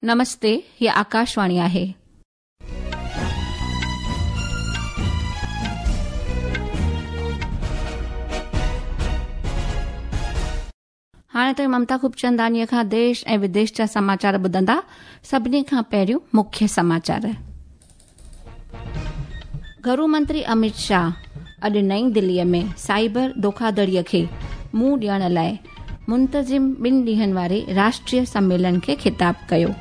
नमस्ते, ही आकाशवाणी आहे. हाणे त ममता खूबचंदानीअ खां देश ऐं विदेश जा समाचार ॿुधंदा। सभिनी खां पहिरियों मुख्य समाचार। घरू मंत्री अमित शाह अॼु नई दिल्लीअ में साइबर धोखाधड़ीअ खे मुंहुं ॾियण लाइ मुंतज़िम ॿिनि ॾींहनि वारे राष्ट्रीय सम्मेलन खे ख़िताब कयो।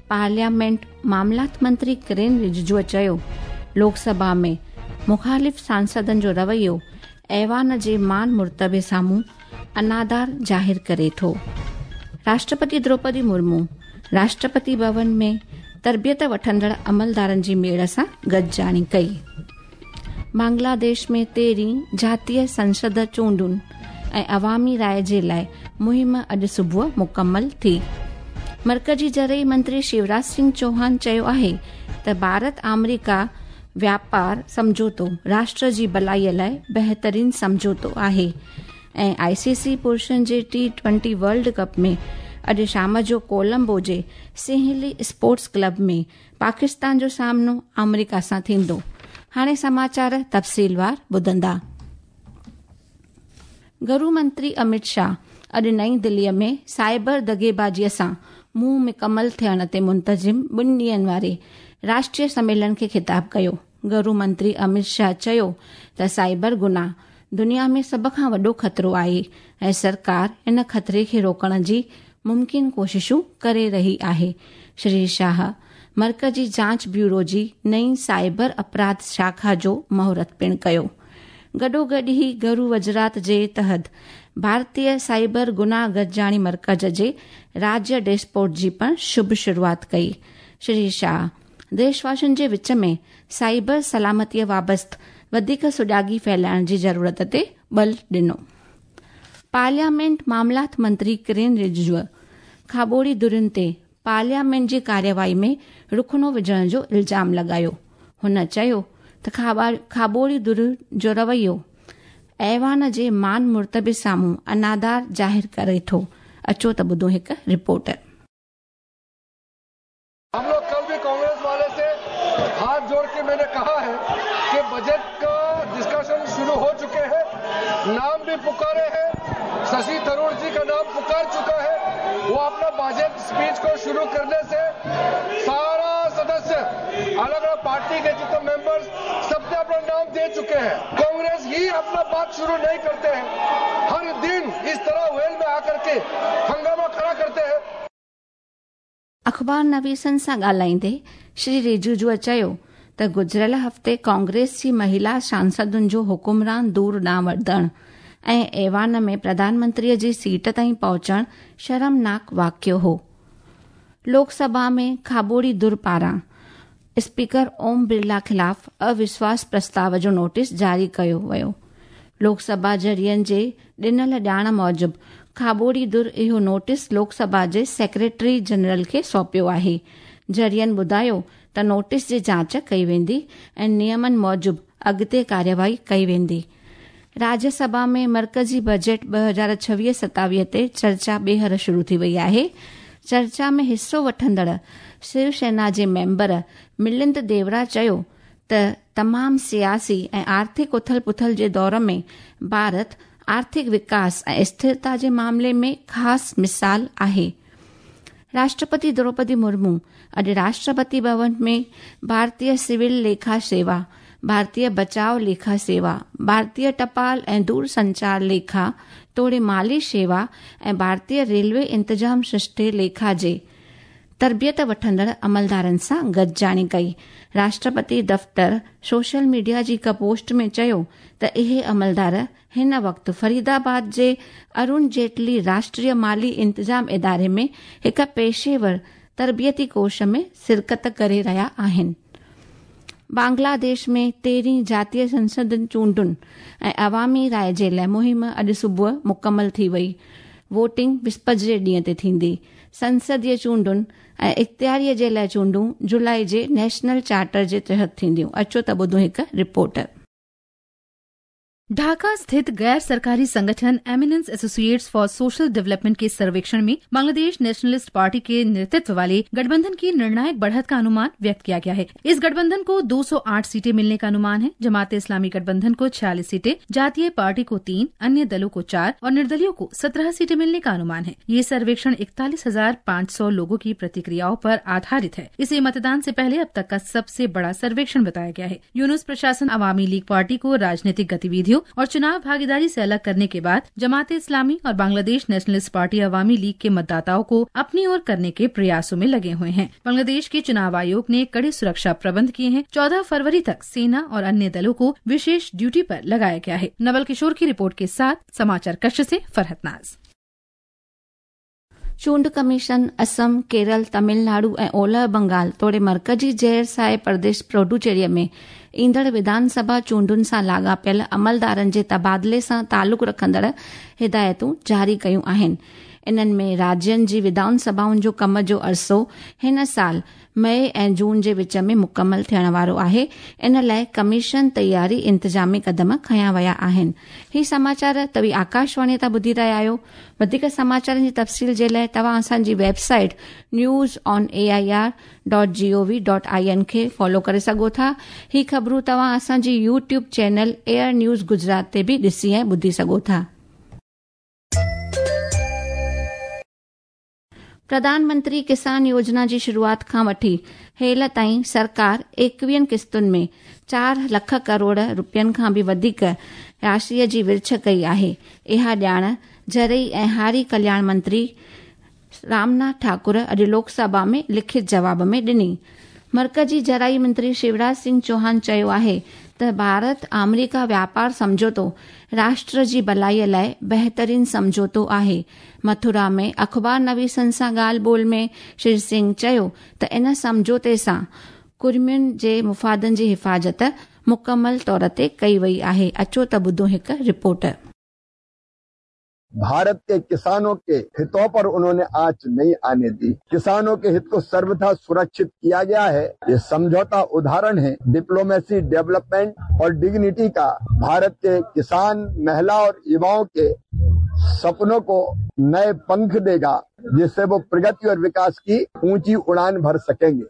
पार्लियामेंट मामलात मंत्री किरेन रिजिजूअ चयो, लोकसभा में मुखालिफ़ सांसदनि जो रवैयो ऐवान जे मान मुर्तबे साम्हूं अनादार ज़ाहिर करे थो। राष्ट्रपति द्रौपदी मुर्मू राष्ट्रपति भवन में तरबियत वठंदड़ अमलदारनि जी मेड़ सां गॾिजाणी कई। बांग्लादेश में 13हीं जातीय संसद चूंडुनि ऐं अवामी राय जे लाइ मुहिम अॼु सुबुह मुकमल थी। मर्कज़ी ज़रई मंत्री शिवराज सिंह चौहान चयो आहे त भारत आमेरिका व्यापार सम्झौतो राष्ट्र जी भलाईअ लाइ बहितरीन सम्झौतो आहे। ऐं आईसीसी पुरुषनि जे टी20 वर्ल्ड कप में अॼु शाम जो कोलंबो जे सिंहली स्पोर्ट्स क्लब में पाकिस्तान जो सामनो आमेरिका सां थींदो। हाणे समाचार तफ़सीलवार ॿुधंदा। घरू मंत्री अमित शाह अॼु नई दिल्लीअ में साइबर दग़ेबाज़ीअ सां मुंहुं मुकमल थियण ते मुंतज़िम ॿिनि ॾींहनि वारे राष्ट्रीय सम्मेलन खे ख़िताब कयो। घरू मंत्री अमित शाह चयो त साइबर गुनाह दुनिया में सभ खां वॾो ख़तरो आहे ऐं सरकार इन ख़तरे खे रोकण जी मुमकिन कोशिशूं करे रही आहे। श्री शाह मर्कज़ी जांच ब्यूरो जी नई साइबर अपराध शाखा जो मुहूर्त पिणु कयो। गॾोगॾु ई घरू वज़ारत जे तहत भारतीय साइबर गुनाह गॾिजाणी मर्कज़ जे राज्य डैशबोर्ड जी पिणु शुभ शुरूआत कई। श्री शाह देशवासियुनि जे विच में साइबर सलामतीअ बाबति वधीक सुॼागी फैलाइण जी ज़रूरत ते बल ॾिनो। पार्लियामेंट मामलात मंत्री किरेन रिजिजूअ खाबोड़ी धुरियुनि ते पार्लियामेंट जी कार्यवाही में रुखणो विझण जो इल्ज़ाम लॻायो। हुन चयो त खाबोड़ी धुर जो रवैयो ऐवान जे मान मुर्तबे साम्हूं अनादार ज़ाहिर करे थो। अचो त ॿुधो हिकु रिपोर्ट। हम लोग कल भी कांग्रेस वाले से हाथ जोड़ के मैंने कहा है कि बजट का डिस्कशन शुरू हो चुके हैं, नाम भी पुकारे हैं, शशि थरूर जी का नाम पुकार चुका है। वो अपना बजट स्पीच को शुरू करने से सारा सदस्य अलग अलग पार्टी के जितने मेंबर्स सबने अपना नाम दे चुके हैं। कांग्रेस ही अपना बात शुरू नहीं करते हैं, हर दिन इस तरह वेल में आकर के हंगामा खड़ा करते हैं। अख़बार नवीसनि सां ॻाल्हाईंदे श्री रिजिजूअ चयो त गुज़िरियल हफ़्ते कांग्रेस जी महिला सांसदुनि जो हुकुमरान दूर ॾांहुं वधणु ऐं ऐवान में प्रधानमंत्रीअ जी सीट ताईं पहुचणु शर्मनाक वाक़ियो हो। लोकसभा में खाबोड़ी धुर पारां स्पीकर ओम बिरला ख़िलाफ़ अविश्वास प्रस्ताव जो नोटिस जारी कयो वियो। लोकसभा ज़रियनि जे ॾिनल ॼाण मूजिबि खाबोड़ी धुर इहो नोटिस लोकसभा जे सेक्रेटरी जनरल खे सौंपियो आहे। ज़रियनि ॿुधायो त नोटिस जी जांच कई वेंदी ऐं नियमनि मूजिबि अॻिते कार्यवाही कई वेंदी। राज्यसभा में मर्कज़ी बजट 2026-27 ते चर्चा ॿीहर शुरू थी वई आहे। चर्चा में हिसो वठंदड़ शिवसेना जे मेंबर मिलिंद देवरा चयो त तमामु सियासी ऐं आर्थिक उथल पुथल जे दौर में भारत आर्थिक विकास ऐं स्थिरता जे मामले में ख़ासि मिसाल आहे। राष्ट्रपति द्रौपदी मुर्मू अॼु राष्ट्रपति भवन में भारतीय सिविल लेखा सेवा, भारतीय बचाव लेखा सेवा, भारतीय टपाल ऐं दूरसंचार लेखा तोड़े माली सेवा ऐं भारतीय रेलवे इंतज़ाम सृष्टि लेखा जे तरबियत वठंदड़ अमलदारनि सां गॾिजाणी कई। राष्ट्रपति दफ़्तर सोशल मीडिया जी हिकु पोस्ट में चयो त इहे अमलदार हिन वक़्तु फरीदाबाद जे अरुण जेटली राष्ट्रीय माली इंतज़ाम इदारे में हिकु पेशेवर तरबियती कोर्स में शिरकत करे रहिया आहिनि। बांग्लादेश में 13हीं जातीय संसद चूंडुनि ऐं अवामी राय जे लाइ मुहिम अॼु सुबुह मुकमल थी वई। वोटिंग विस्पति जे ॾींहं ते थींदी। संसदीय चूंडुनि ऐं इख़्तियारीअ जे लाइ चूंडूं जुलाई जे नेशनल चार्टर जे तहत थींदियूं। अचो त ॿुधो हिकु रिपोर्ट। ढाका स्थित गैर सरकारी संगठन Eminence Associates for Social Development के सर्वेक्षण में बांग्लादेश नेशनलिस्ट पार्टी के नेतृत्व वाले गठबंधन की निर्णायक बढ़त का अनुमान व्यक्त किया गया है। इस गठबंधन को 208 सीटें मिलने का अनुमान है। जमात इस्लामी गठबंधन को 46 सीटें, जातीय पार्टी को 3, अन्य दलों को 4 और निर्दलियों को 17 सीटें मिलने का अनुमान है। ये सर्वेक्षण 41,500 लोगों की प्रतिक्रियाओं पर आधारित है। इसे मतदान से पहले अब तक का सबसे बड़ा सर्वेक्षण बताया गया है। यूनुस प्रशासन अवामी लीग पार्टी को राजनीतिक गतिविधियों और चुनाव भागीदारी से अलग करने के बाद जमात इस्लामी और बांग्लादेश नेशनलिस्ट पार्टी अवामी लीग के मतदाताओं को अपनी ओर करने के प्रयासों में लगे हुए हैं। बांग्लादेश के चुनाव आयोग ने कड़े सुरक्षा प्रबंध किए हैं। 14 फरवरी तक सेना और अन्य दलों को विशेष ड्यूटी पर लगाया गया है। नवल किशोर की रिपोर्ट के साथ समाचार कक्ष से फरहत नाज। चूंड कमीशन असम, केरल, तमिलनाडु ऐं ओलह बंगाल तोड़े मर्कजी ज़हर साए प्रदेश पुडुचेरीअ में ईंदड़ विधानसभा चूंडुनि सां लाॻापियल अमलदारनि जे तबादिले सां तालुक रखंदड़ हिदायतूं जारी कयूं आहिनि। इन्हनि में राज्यनि जी विधानसभाउनि जो कम जो अरसो हिन साल मई ऐं जून जे विच में मुकमल थियण वारो आहे। इन लाइ कमीशन तयारी इंतिज़ामी कदम खयां विया आहिनि। ही समाचार तव्हीं आकाशवाणी तां ॿुधी रहिया आहियो। वधीक समाचारनि जी तफ़सील जे लाइ तव्हां असांजी वेबसाइट newsonair.gov.in खे फॉलो करे सघो था। ही ख़बरूं तव्हां असांजी YouTube channel AIR news Gujarat ते बि ॾिसी ऐं ॿुधी सघो था। प्रधानमंत्री किसान योजना जी शुरूआत खां वठी हेल ताईं सरकार 21 किस्तुनि में 4 लख करोड़ रुपयनि खां बि वधीक राशिअ जी विर्छ कई आहे। इहा ॼाण ज़रई ऐं हारी कल्याण मंत्री रामनाथ ठाकुर अॼु लोकसभा में लिखित जवाब में ॾिनी। मर्कजी ज़राई मंत्री शिवराज सिंह चौहान चयो आहे त भारत आमेरिका व्यापार सम्झौतो राष्ट्र जी भलाईअ लाइ बहितरीन सम्झौतो आहे। मथुरा में अख़बार नवीसनि सां ॻाल्हि ॿोल में श्री सिंह चयो त इन सम्झौते सां कुर्मियुनि जे मुफ़ादनि जी हिफ़ाज़त मुकमल तौर ते कई वई आहे। अचो त ॿुधो हिकु रिपोर्ट। भारत के किसानों के हितों पर उन्होंने आंच नहीं आने दी। किसानों के हित को सर्वथा सुरक्षित किया गया है। ये समझौता उदाहरण है डिप्लोमेसी, डेवलपमेंट और डिग्निटी का। भारत के किसान, महिला और युवाओं के सपनों को नए पंख देगा, जिससे वो प्रगति और विकास की ऊंची उड़ान भर सकेंगे।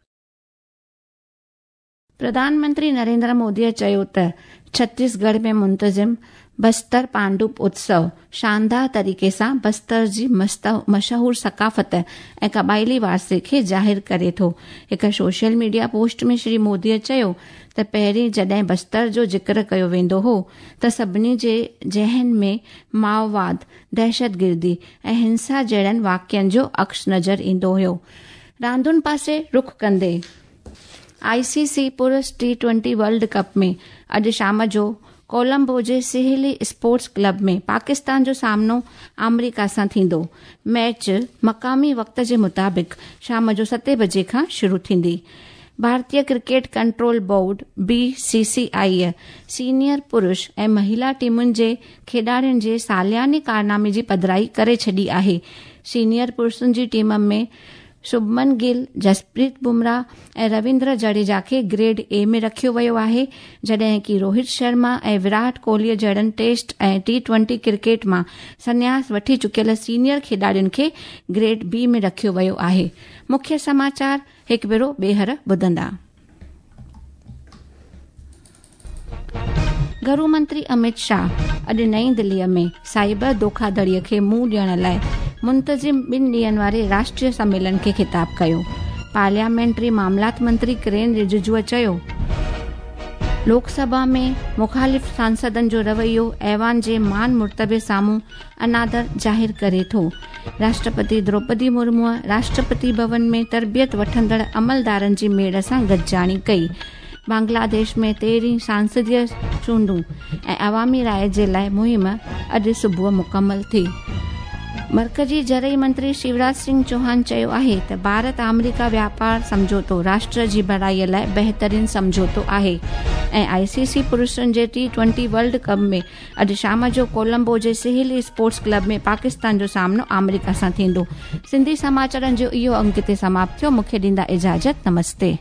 प्रधानमंत्री नरेंद्र मोदीअ चयो त छत्तीसगढ़ में मुंतज़िम बस्तर पांडुप उत्सव शानदार तरीक़े सां बस्तर जी मशहूर सकाफ़त ऐं क़बाइली वारसे खे ज़ाहिर करे थो। हिकु सोशल मीडिया पोस्ट में श्री मोदीअ चयो त पहिरीं जॾहिं बस्तर जो ज़िक्र कयो वेंदो हो त सभिनी जे ज़हन में माओवाद, दहशतगिर्दी ऐं हिंसा जहिड़नि वाक़ियनि जो अक्स नज़र ईंदो हुयो। रांदुनि पासे रुख कंदे आईसीसी पुरुष T20 world cup में अॼु शाम जो कोलंबो जे सिहली स्पोर्ट्स क्लब में पाकिस्तान जो सामनो आमेरिका सां थींदो। मैच मक़ामी वक़्त जे मुताबिक़ शाम जो 7 बजे खां शुरू थींदी। भारतीय cricket control board BCCI senior पुरुष ऐं महिला टीमुनि जे खेॾाड़ियुनि जे सालियाने कारनामे जी पधराई करे छॾी आहे। सीनियर पुरुषनि जी टीम में शुभमन गिल, जसप्रीत बुमराह ऐं रविंद्र जडेजा खे ग्रेड ए में रखियो वियो आहे, जॾहिं की रोहित शर्मा ऐं विराट कोहलीअ जहिड़नि टेस्ट ऐं T20 cricket मां संन्यास वठी चुकियल सीनियर खेॾाड़ियुनि खे ग्रेड बी में रखियो वियो आहे। मुख्य समाचार हिकु भेरो ॿीहर ॿुधंदा। घरू मंत्री अमित शाह अॼु नई दिल्लीअ में साइबर धोखाधड़ीअ खे मुंहुं ॾियण लाइ मुंतज़िम 2 ॾींहनि वारे राष्ट्रीय सम्मेलन खे ख़िताब कयो। पार्लियामेंट्री मामलात मंत्री किरेन रिजिजूअ चयो, लोकसभा में मुखालिफ़ सांसदनि जो रवैयो ऐवान जे मान मुर्तबे साम्हूं अनादर ज़ाहिर करे थो। राष्ट्रपति द्रौपदी मुर्मूअ राष्ट्रपति भवन में तरबियत वठंदड़ अमलदारनि जी मेड़ सां गॾिजाणी कई। बांग्लादेश में 13 सांसदीय चूंडूं ऐं अवामी राय जे लाइ मुहिम अॼु सुबुह मुकमल थी। मर्कजी ज़रई मंत्री शिवराज सिंह चौहान चयो आहे त भारत आमेरिका व्यापार सम्झौतो राष्ट्र जी भलाईअ लाइ बहितरीन सम्झौतो आहे ऐं आईसीसी पुरुषनि जे T20 world cup में अॼु शाम जो कोलंबो जे सिहली स्पोर्ट्स क्लब में पाकिस्तान जो सामनो आमेरिका सां थींदो। सिंधी समाचारनि जो इहो अंक हिते समाप्त थियो। मूंखे ॾींदा इजाज़त। नमस्ते।